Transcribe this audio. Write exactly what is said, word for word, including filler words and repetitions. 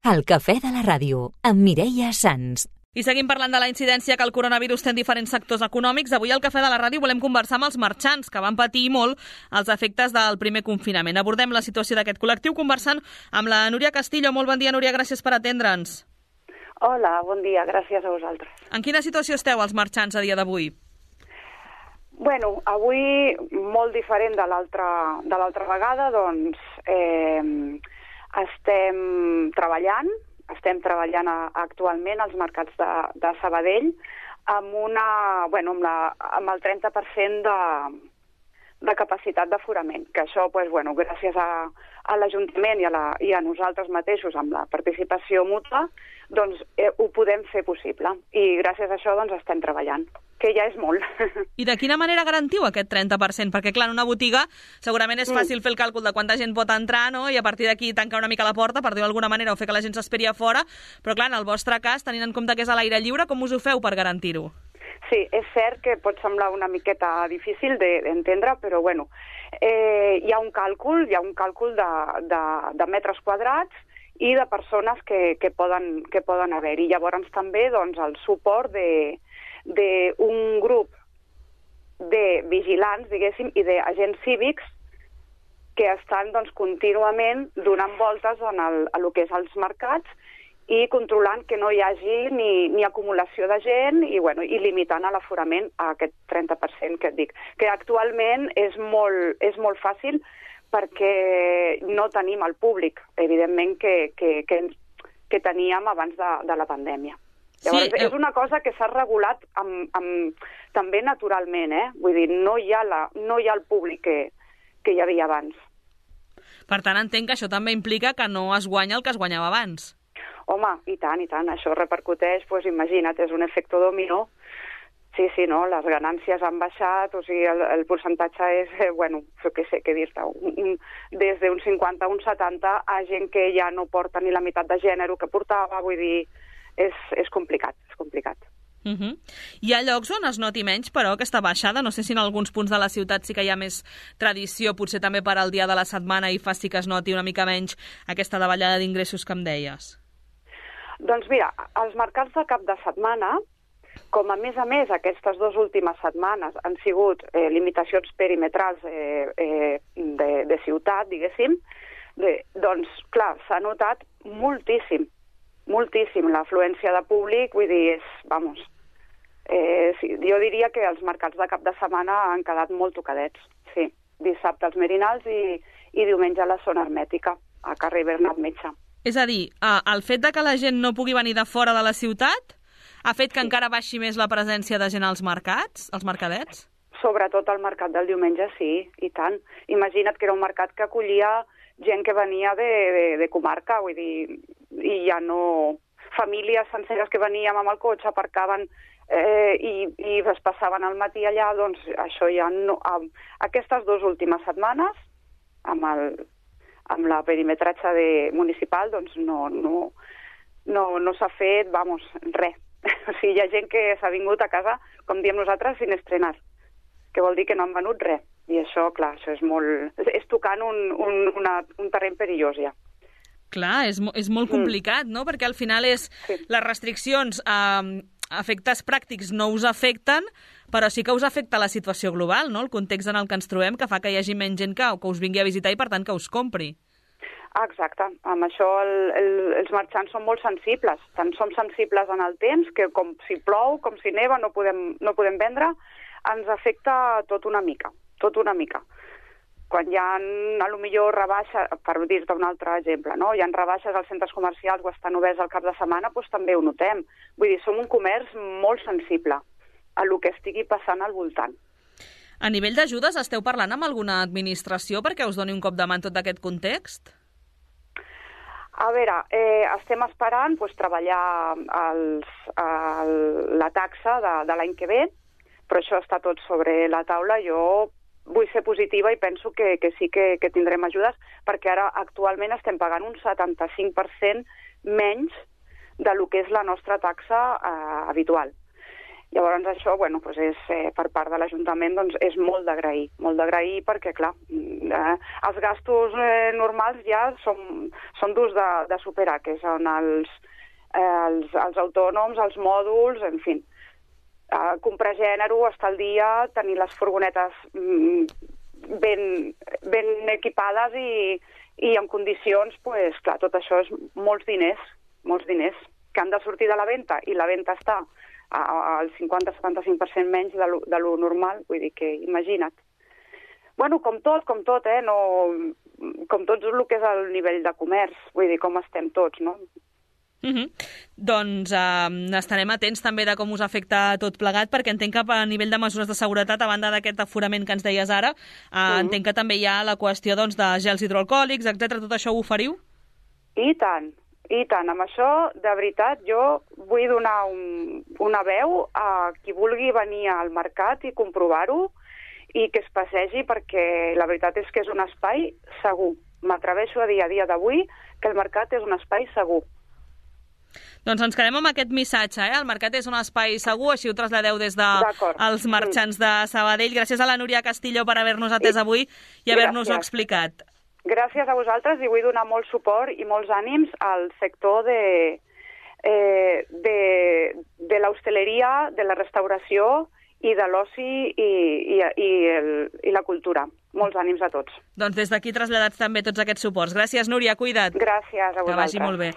El cafè de la ràdio, amb Mireia Sans. I seguim parlant de la incidència que el coronavirus té en diferents sectors econòmics. Avui al Cafè de la Ràdio volem conversar amb els marxants, que van patir molt els efectes del primer confinament. Abordem la situació d'aquest col·lectiu conversant amb la Núria Castillo. Molt bon dia, Núria, gràcies per atendre'ns. Hola, bon dia, gràcies a vosaltres. En quina situació esteu, els marxants, a dia d'avui? Bueno, avui, molt diferent de l'altra de l'altra vegada, doncs eh, estem treballant, estem treballant actualment als mercats de, de Sabadell amb, una, bueno, amb, la, amb el trenta per cent de, de capacitat d'aforament, que això, pues, bueno, gràcies a, a l'Ajuntament i, a la, i a nosaltres mateixos, amb la participació mútua, doncs eh, ho podem fer possible. I gràcies a això doncs, estem treballant, que ja és molt. I de quina manera garantiu aquest trenta per cent? Perquè, clar, en una botiga segurament és fàcil mm. fer el càlcul de quanta gent pot entrar, no? I a partir d'aquí tancar una mica la porta, per dir-ho d'alguna manera, o fer que la gent s'esperi a fora, però, clar, en el vostre cas, tenint en compte que és a l'aire lliure, com us ho feu per garantir-ho? Sí, és cert que pot semblar una miqueta difícil d'entendre, però, bueno, eh, hi ha un càlcul, hi ha un càlcul de, de, de metres quadrats i de persones que, que poden, que poden haver. I llavors també, doncs, el suport de d'un grup de vigilants, diguéssim, i d'agents cívics que estan doncs, contínuament donant voltes en el, a lo que és els mercats i controlant que no hi hagi ni, ni acumulació de gent i, bueno, i limitant a l'aforament a aquest trenta per cent que et dic. Que actualment és molt, és molt fàcil perquè no tenim el públic, evidentment, que, que, que, que teníem abans de, de la pandèmia. Llavors, sí, és una cosa que s'ha regulat amb, amb, també naturalment, eh? Vull dir, no hi ha, la, no hi ha el públic que, que hi havia abans. Per tant, entenc que això també implica que no es guanya el que es guanyava abans. Home, i tant, i tant. Això repercuteix, doncs imagina't, és un efecte dominó. Sí, sí, no, les ganàncies han baixat, o sigui, el, el percentatge és, eh, bueno, què sé què dir-te, des d'un cinquanta a un setanta a gent que ja no porta ni la meitat de gènere que portava, vull dir, és, és complicat, és complicat. Uh -huh. Hi ha llocs on es noti menys, però, aquesta baixada? No sé si en alguns punts de la ciutat sí que hi ha més tradició, potser també per al dia de la setmana, i faci que es noti una mica menys aquesta davallada d'ingressos que em deies. Doncs mira, els mercats de cap de setmana, com a més a més aquestes dues últimes setmanes han sigut eh, limitacions perimetrals eh, eh, de, de ciutat, diguéssim, de, doncs, clar, s'ha notat moltíssim, moltíssim l'afluència de públic, vull dir, és, vamos, eh, sí, jo diria que els mercats de cap de setmana han quedat molt tocadets, sí, dissabte als Merinals i, i diumenge a la zona hermètica, a carrer Bernat Metge. És a dir, el fet de que la gent no pugui venir de fora de la ciutat ha fet que sí. encara baixi més la presència de gent als mercats, als mercadets? Sobretot al mercat del diumenge, sí, i tant. Imagina't que era un mercat que acollia gent que venia de, de, de comarca, vull dir, i ja no... Famílies senceres que veníem amb el cotxe, aparcaven eh, i, i es passaven al matí allà, doncs això ja no... Aquestes dues últimes setmanes, amb, el, amb la perimetratge de municipal, doncs no, no, no, no s'ha fet, vamos, res. O sigui, hi ha gent que s'ha vingut a casa, com diem nosaltres, sin estrenar, que vol dir que no han venut res. I això, clar, això és molt... És tocant un, un, una, un terreny perillós, ja. Clar, és, és molt complicat, mm. no? Perquè al final és... Sí. Les restriccions a eh, efectes pràctics no us afecten, però sí que us afecta la situació global, no? El context en el que ens trobem, que fa que hi hagi menys gent que, que us vingui a visitar i, per tant, que us compri. Exacte. Amb això el, el, els marxants són molt sensibles. Tant som sensibles en el temps, que com si plou, com si neva, no podem, no podem vendre, ens afecta tot una mica, tot una mica. Quan hi ha, a lo millor, rebaixes, per dir-te un altre exemple, no? Hi ha rebaixes als centres comercials o estan oberts al cap de setmana, doncs també ho notem. Vull dir, som un comerç molt sensible a lo que estigui passant al voltant. A nivell d'ajudes, esteu parlant amb alguna administració perquè us doni un cop de mà en tot aquest context? A veure, eh, estem esperant pues, treballar els, el, la taxa de, de l'any que ve, però això està tot sobre la taula. Jo vull ser positiva i penso que, que sí que, que tindrem ajudes, perquè ara actualment estem pagant un setanta-cinc per cent menys de lo que és la nostra taxa eh, habitual. Llavors això, bueno, doncs és, eh, per part de l'Ajuntament doncs és molt d'agrair, molt d'agrair perquè, clar, eh, els gastos eh, normals ja són, són durs de, de superar, que són els, eh, els, els autònoms, els mòduls, en fi. Eh, comprar gènere, estar al dia, tenir les furgonetes mm, ben, ben equipades i, i en condicions, pues, clar, tot això és molts diners, molts diners, que han de sortir de la venda, i la venda està al cinquanta a setanta-cinc per cent menys de lo, de lo normal, vull dir que imagina't. Bueno, com tot, com tot, eh? No, com tot el que és el nivell de comerç, vull dir, com estem tots, no? Uh-huh. Doncs eh, estarem atents també de com us afecta tot plegat, perquè entenc que a nivell de mesures de seguretat, a banda d'aquest aforament que ens deies ara, eh, uh-huh. entenc que també hi ha la qüestió doncs, de gels hidroalcohòlics, etcètera. Tot això ho oferiu? I tant. I tant, amb això, de veritat, jo vull donar un, una veu a qui vulgui venir al mercat i comprovar-ho i que es passegi, perquè la veritat és que és un espai segur. M'atreveixo a dir a dia d'avui que el mercat és un espai segur. Doncs ens quedem amb aquest missatge, eh? El mercat és un espai segur, així ho traslladeu des dels marxants de Sabadell. Gràcies a la Núria Castillo per haver-nos atès avui i haver-nos-ho explicat. Gràcies a vosaltres i vull donar molt suport i molts ànims al sector de, eh, de, de l'hostaleria, de la restauració i de l'oci i, i, i, el, i la cultura. Molts ànims a tots. Doncs des d'aquí traslladats també tots aquests suports. Gràcies, Núria, cuida't. Gràcies a vosaltres. Que vagi molt bé.